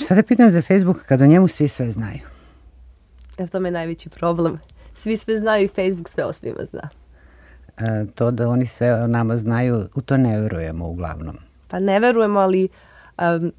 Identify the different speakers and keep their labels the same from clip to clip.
Speaker 1: Šta da pitam za Facebook kad o njemu svi sve znaju?
Speaker 2: Evo, to je najveći problem. Svi sve znaju i Facebook sve o svima zna.
Speaker 1: To da oni sve o nama znaju, u to ne verujemo uglavnom.
Speaker 2: Pa ne verujemo, ali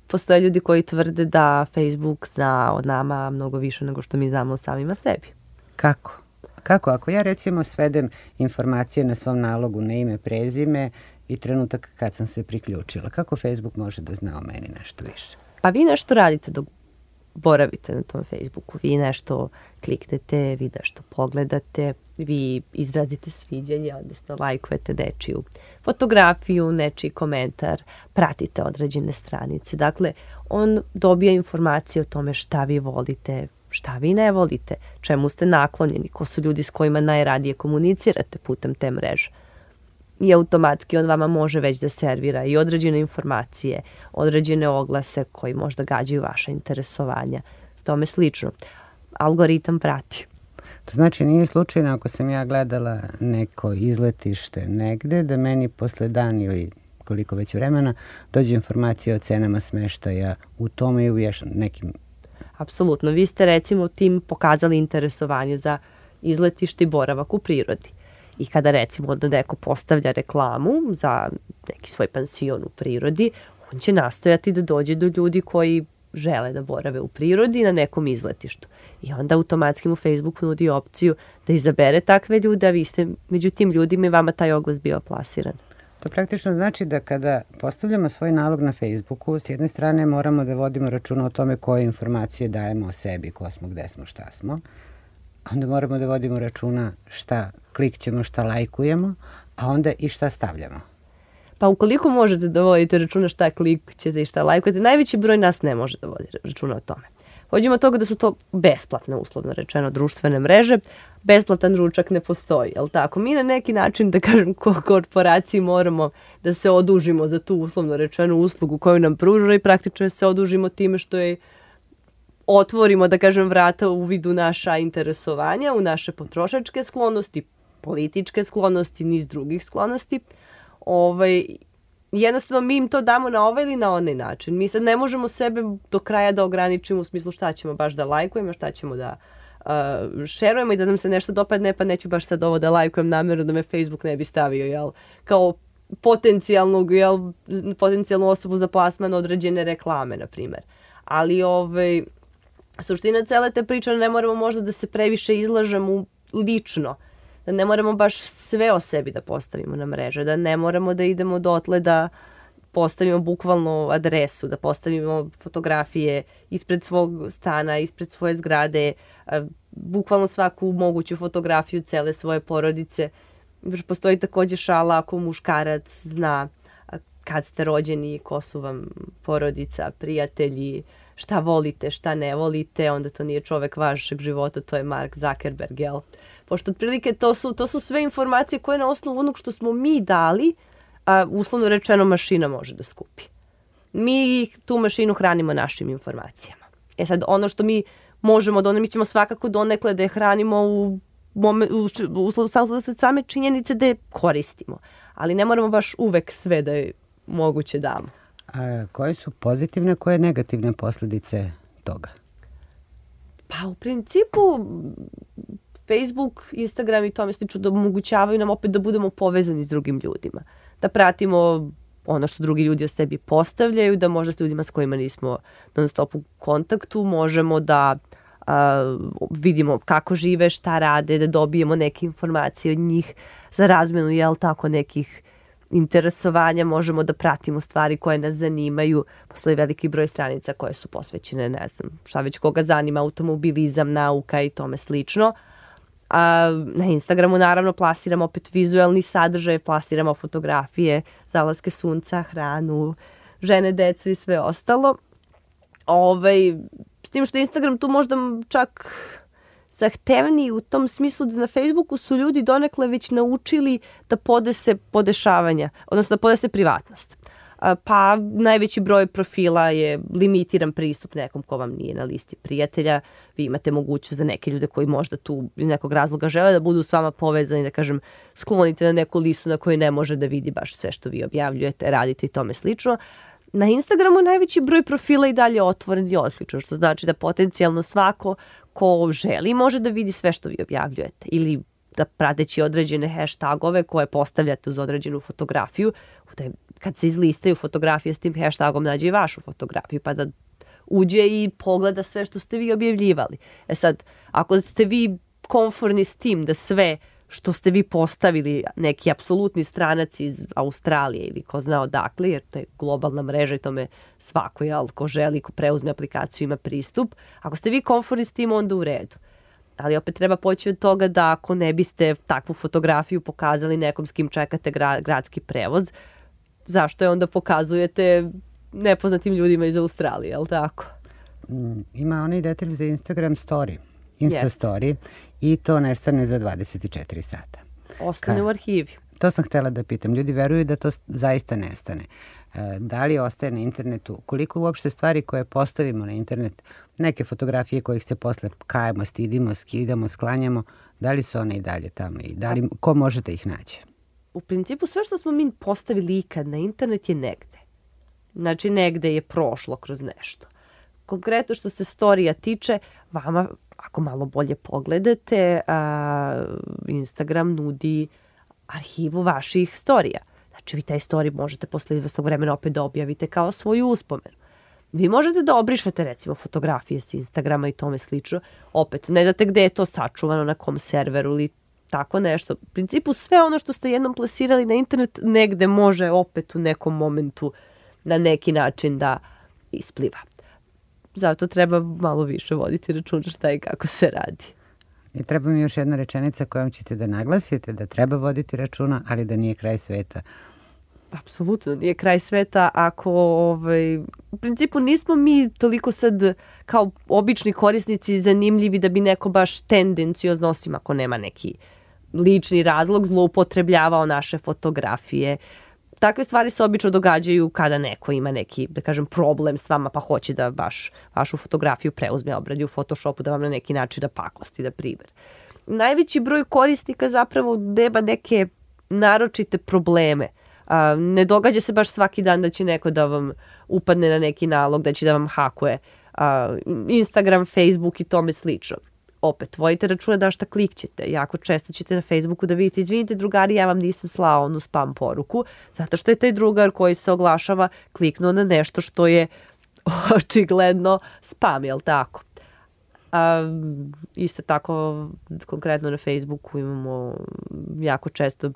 Speaker 2: postoje ljudi koji tvrde da Facebook zna od nama mnogo više nego što mi znamo o samima sebi.
Speaker 1: Kako? Kako? Ako ja recimo svedem informacije na svom nalogu na ime, prezime i trenutak kad sam se priključila, kako Facebook može da zna o meni nešto više?
Speaker 2: Pa vi nešto radite dok boravite na tom Facebooku. Vi nešto kliknete, vi nešto pogledate, vi izrazite sviđanje, odnosno lajkujete nečiju fotografiju, nečiji komentar, pratite određene stranice. Dakle, on dobija informacije o tome šta vi volite, šta vi ne volite, čemu ste naklonjeni, ko su ljudi s kojima najradije komunicirate putem te mreže. I automatski on vama može već da servira i određene informacije, određene oglase koji možda gađaju vaše interesovanja. Tome slično. Algoritam prati.
Speaker 1: To znači nije slučajno ako sam ja gledala neko izletište negde, da meni posle dan ili koliko već vremena dođe informacija o cenama smeštaja u tome i u još nekim...
Speaker 2: Apsolutno. Vi ste recimo tim pokazali interesovanje za izletište i boravak u prirodi. I kada recimo da neko postavlja reklamu za neki svoj pansion u prirodi, on će nastojati da dođe do ljudi koji žele da borave u prirodi na nekom izletištu. I onda automatski mu Facebook nudi opciju da izabere takve ljude, a vi ste među tim ljudima i vama taj oglas bio plasiran.
Speaker 1: To praktično znači da kada postavljamo svoj nalog na Facebooku, s jedne strane moramo da vodimo računa o tome koje informacije dajemo o sebi, ko smo, gde smo, šta smo. Onda moramo da vodimo računa šta klikćemo, šta lajkujemo, a onda i šta stavljamo.
Speaker 2: Pa ukoliko možete da vodite računa šta klikćete i šta lajkujete, najveći broj nas ne može da vodi računa o tome. Pođemo od toga da su to besplatne, uslovno rečeno, društvene mreže. Besplatan ručak ne postoji, jel tako? Mi na neki način, da kažem, kao korporaciji moramo da se odužimo za tu uslovno rečenu uslugu koju nam pruža i praktično se odužimo time što je otvorimo, da kažem, vrata u vidu naša interesovanja, u naše potrošačke sklonosti, političke sklonosti, niz drugih sklonosti. Jednostavno mi im to damo na ovaj ili na onaj način. Mi sad ne možemo sebe do kraja da ograničimo u smislu šta ćemo baš da lajkujemo, šta ćemo da šerujemo i da nam se nešto dopadne, pa neću baš sad ovo da lajkujem namjerno da me Facebook ne bi stavio, jel, kao potencijalnu osobu za plasman određene reklame, na primjer. Ali suština cele te priče, ne moramo možda da se previše izlažemo lično, da ne moramo baš sve o sebi da postavimo na mreže, da ne moramo da idemo dotle da postavimo bukvalno adresu, da postavimo fotografije ispred svog stana, ispred svoje zgrade, bukvalno svaku moguću fotografiju cele svoje porodice. Postoji takođe šala ako muškarac zna kad ste rođeni, ko su vam porodica, prijatelji, šta volite, šta ne volite, onda to nije čovek vašeg života, to je Mark Zuckerberg, jel? Pošto otprilike to su sve informacije koje na osnovu onog što smo mi dali, a uslovno rečeno mašina može da skupi. Mi tu mašinu hranimo našim informacijama. Sad, ono što mi možemo da mi ćemo svakako donekle da je hranimo u same činjenice da je koristimo. Ali ne moramo baš uvek sve da je moguće damo.
Speaker 1: A koje su pozitivne, koje negativne posledice toga?
Speaker 2: Pa u principu Facebook, Instagram i tome slično da omogućavaju nam opet da budemo povezani s drugim ljudima. Da pratimo ono što drugi ljudi o sebi postavljaju, da možda s ljudima s kojima nismo non stop u kontaktu, možemo da vidimo kako žive, šta rade, da dobijemo neke informacije od njih za razmenu, jel tako, nekih interesovanja, možemo da pratimo stvari koje nas zanimaju. Postoji veliki broj stranica koje su posvećene, ne znam, šta već koga zanima, automobilizam, nauka i tome slično. Na Instagramu naravno plasiramo opet vizuelni sadržaj, plasiramo fotografije, zalaske sunca, hranu, žene, decu i sve ostalo. S tim što Instagram tu možda čak zahtevniji u tom smislu da na Facebooku su ljudi donekle već naučili da podese podešavanja, odnosno da podese privatnost. Pa najveći broj profila je limitiran pristup nekom ko vam nije na listi prijatelja. Vi imate mogućnost da neke ljude koji možda tu iz nekog razloga žele da budu s vama povezani, da kažem, sklonite na neku listu na kojoj ne može da vidi baš sve što vi objavljujete, radite i tome slično. Na Instagramu najveći broj profila i dalje otvoren i otključan, što znači da potencijalno svako ko želi može da vidi sve što vi objavljujete ili da prateći određene hashtagove koje postavljate uz određenu fotografiju, kad se izlistaju fotografije s tim hashtagom nađe i vašu fotografiju pa da uđe i pogleda sve što ste vi objavljivali. Sad, ako ste vi komforni s tim da sve što ste vi postavili neki apsolutni stranac iz Australije ili ko zna odakle, jer to je globalna mreža i tome svako, ko želi, ko preuzme aplikaciju ima pristup. Ako ste vi komforni s tim, onda u redu. Ali opet treba poći od toga da ako ne biste takvu fotografiju pokazali nekom s kim čekate gradski prevoz, zašto je onda pokazujete nepoznatim ljudima iz Australije, je li tako?
Speaker 1: Ima onaj detalj za Instagram story. Story i to nestane za 24 sata.
Speaker 2: Ostane u arhivi.
Speaker 1: To sam htjela da pitam. Ljudi veruju da to zaista nestane. Da li ostaje na internetu? Koliko uopšte stvari koje postavimo na internet, neke fotografije kojih se posle kajemo, stidimo, skidamo, sklanjamo, da li su one i dalje tamo i da li, ko može da ih nađe?
Speaker 2: U principu sve što smo mi postavili ikad na internet je negde. Znači negde je prošlo kroz nešto. Konkretno što se storija tiče, vama ako malo bolje pogledate, Instagram nudi arhivu vaših storija. Znači vi taj story možete posle izvesnog vremena opet da objavite kao svoju uspomenu. Vi možete da obrišete recimo fotografije s Instagrama i tome slično. Opet, ne znate gde je to sačuvano, na kom serveru ili tako nešto. U principu sve ono što ste jednom plasirali na internet negde može opet u nekom momentu na neki način da ispliva. Zato treba malo više voditi računa šta i kako se radi.
Speaker 1: I treba mi još jedna rečenica kojom ćete da naglasite da treba voditi računa, ali da nije kraj sveta.
Speaker 2: Apsolutno, nije kraj sveta ako, u principu nismo mi toliko sad kao obični korisnici zanimljivi da bi neko baš tendenciozno, osim ako nema neki lični razlog, zloupotrebljavao naše fotografije. Takve stvari se obično događaju kada neko ima neki, da kažem, problem s vama pa hoće da baš vašu fotografiju preuzme, obradi u Photoshopu da vam na neki način da pakosti, da priver. Najveći broj korisnika zapravo nema neke naročite probleme. Ne događa se baš svaki dan da će neko da vam upadne na neki nalog, da će da vam hakuje Instagram, Facebook i tome slično. Opet, vodite računa da šta klikćete. Jako često ćete na Facebooku da vidite, izvinite drugari, ja vam nisam slao onu spam poruku, zato što je taj drugar koji se oglašava kliknuo na nešto što je očigledno spam, jel tako? Isto tako, konkretno na Facebooku imamo jako često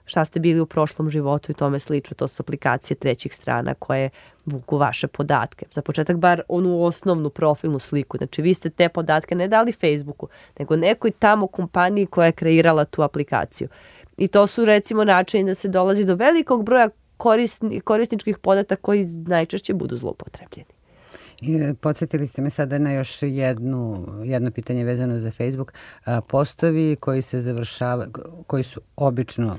Speaker 2: šta ste bili u prošlom životu i tome slično. To su aplikacije trećih strana koje vuku vaše podatke. Za početak bar onu osnovnu profilnu sliku. Znači vi ste te podatke ne dali Facebooku, nego nekoj tamo kompaniji koja je kreirala tu aplikaciju. I to su recimo načini da se dolazi do velikog broja korisničkih podataka koji najčešće budu zloupotrebljeni.
Speaker 1: I podsjetili ste me sada na još jedno pitanje vezano za Facebook. Postovi koji se završavaju, koji su obično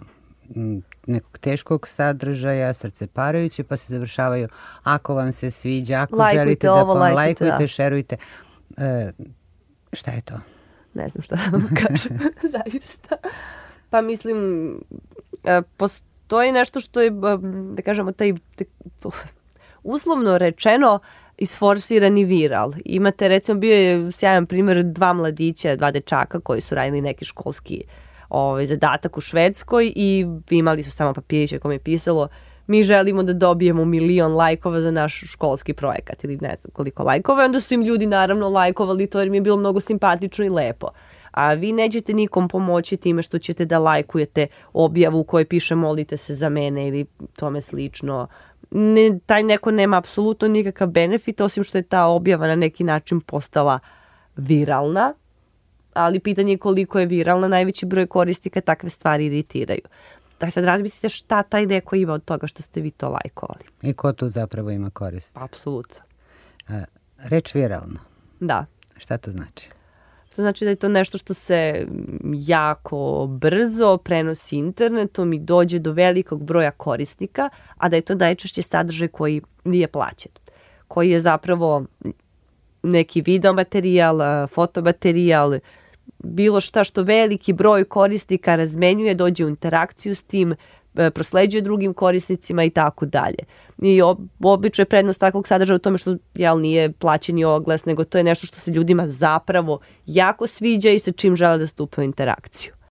Speaker 1: nekog teškog sadržaja, srceparajući, pa se završavaju ako vam se sviđa, ako
Speaker 2: lajkujte
Speaker 1: želite
Speaker 2: ovo,
Speaker 1: da lajkujte,
Speaker 2: da.
Speaker 1: šerujte. Šta je to?
Speaker 2: Ne znam šta da vam kažem, zaista. Pa mislim, postoji nešto što je, da kažemo, taj uslovno rečeno isforsirani viral. Imate, recimo, bio je sjajan primjer dva mladića, dva dečaka koji su radili neki školski zadatak u Švedskoj i imali su samo papiriće kome je pisalo mi želimo da dobijemo 1.000.000 lajkova za naš školski projekat ili ne znam koliko lajkova. Onda su im ljudi naravno lajkovali to jer mi je bilo mnogo simpatično i lepo. A vi nećete nikom pomoći time što ćete da lajkujete objavu u kojoj piše molite se za mene ili tome slično. Taj neko nema apsolutno nikakav benefit osim što je ta objava na neki način postala viralna, ali pitanje je koliko je viralna, najveći broj korisnika takve stvari iritiraju. Da sad razmislite šta taj neko ima od toga što ste vi to lajkovali.
Speaker 1: I ko tu zapravo ima korist?
Speaker 2: Apsolutno.
Speaker 1: Reč viralno.
Speaker 2: Da.
Speaker 1: Šta to znači?
Speaker 2: To znači da je to nešto što se jako brzo prenosi internetom i dođe do velikog broja korisnika, a da je to najčešće sadržaj koji nije plaćen. Koji je zapravo neki video materijal, fotomaterijal, bilo šta što veliki broj korisnika razmenjuje, dođe u interakciju s tim, prosleđuje drugim korisnicima i tako dalje. I obično je prednost takvog sadržaja u tome što nije plaćeni oglas, nego to je nešto što se ljudima zapravo jako sviđa i sa čim žele da stupe u interakciju.